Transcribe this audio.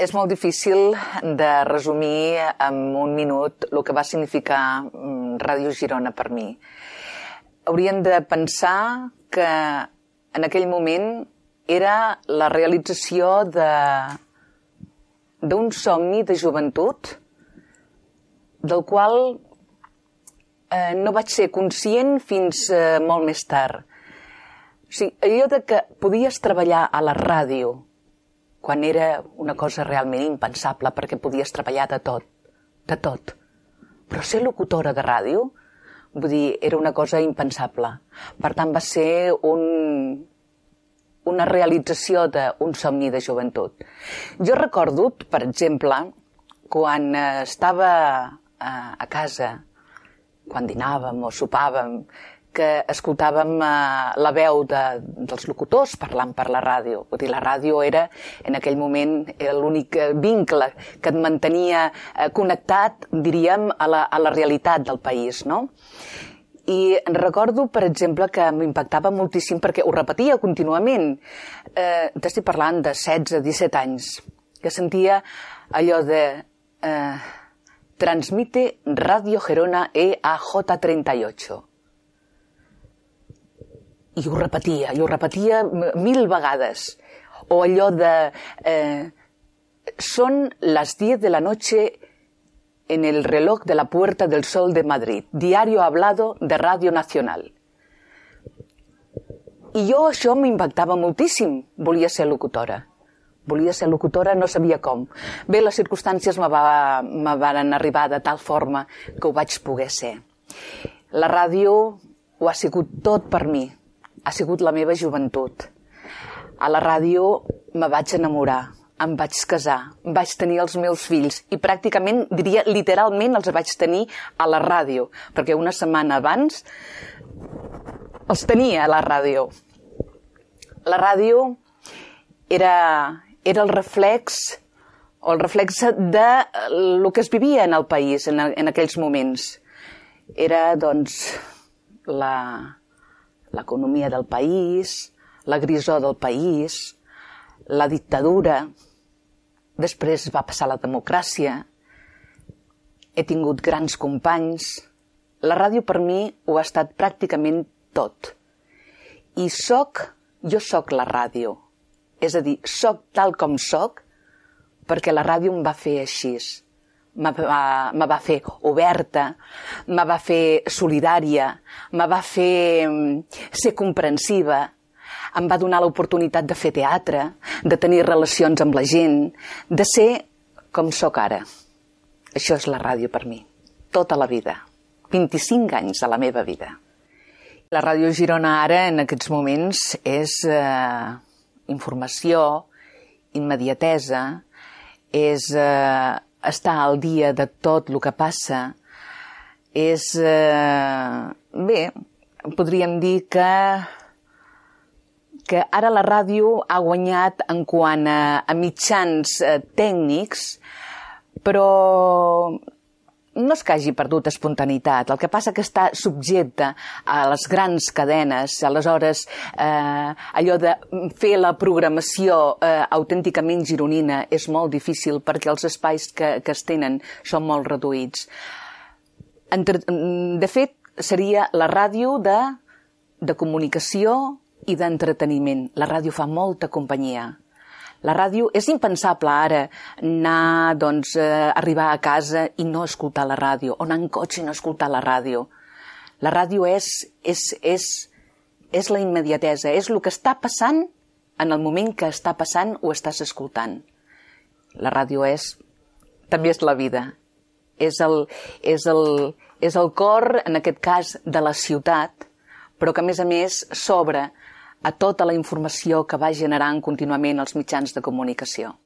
És molt difícil de resumir en un minut el que va significar Ràdio Girona per mi. Hauríem de pensar que en aquell moment era la realització d'un somni de joventut del qual no vaig ser conscient fins molt més tard. O sigui, allò de que podies treballar a la ràdio quan era una cosa realment impensable perquè podies treballar de tot. Però ser locutora de ràdio, vull dir, era una cosa impensable. Per tant, va ser una realització d'un somni de joventut. Jo recordo, per exemple, quan estava a casa, quan dinàvem o sopàvem, que escoltàvem la veu dels locutors parlant per la ràdio. Vull dir, la ràdio era, en aquell moment, l'únic vincle que et mantenia connectat, diríem, a la realitat del país, no? I recordo, per exemple, que m'impactava moltíssim perquè ho repetia contínuament. T'estic parlant de 16-17 anys, que sentia allò de transmite Radio Gerona EAJ38. I ho repetia 1000 vegades. O allò de son las 10 de la noche en el reloj de la Puerta del Sol de Madrid, diario hablado de Radio Nacional. I jo això m'impactava moltíssim. Volia ser locutora, no sabia com. Bé, les circumstàncies me van arribar de tal forma que ho vaig poder ser. La ràdio ho ha sigut tot per mi. Ha sigut la meva joventut. A la ràdio me vaig enamorar, em vaig casar, vaig tenir els meus fills i pràcticament, diria, literalment els vaig tenir a la ràdio, perquè una setmana abans els tenia a la ràdio. La ràdio era el reflex de el que es vivia en el país en aquells moments. Era, doncs, l'economia del país, la grisor del país, la dictadura, després va passar la democràcia, he tingut grans companys. La ràdio per mi ho ha estat pràcticament tot. I jo soc la ràdio. És a dir, soc tal com soc perquè la ràdio em va fer així. Me va fer oberta, me va fer solidària, me va fer ser comprensiva, em va donar l'oportunitat de fer teatre, de tenir relacions amb la gent, de ser com sóc ara. Això és la ràdio per mi, tota la vida, 25 anys de la meva vida. La Ràdio Girona ara, en aquests moments, és informació, immediatesa, és estar al dia de tot el que passa, és... Bé, podríem dir que ara la ràdio ha guanyat en quant a mitjans tècnics, però no és que hagi perdut espontaneïtat, el que passa que està subjecte a les grans cadenes, aleshores allò de fer la programació autènticament gironina és molt difícil perquè els espais que es tenen són molt reduïts. De fet, seria la ràdio de comunicació i d'entreteniment. La ràdio fa molta companyia. La ràdio, és impensable ara anar, doncs, arribar a casa i no escoltar la ràdio, o anar en cotxe i no escoltar la ràdio. La ràdio és la immediatesa, és el que està passant en el moment que està passant ho estàs escoltant. La ràdio també és la vida, és el cor, en aquest cas, de la ciutat, però que, a més, s'obre a tota la informació que va generant contínuament els mitjans de comunicació.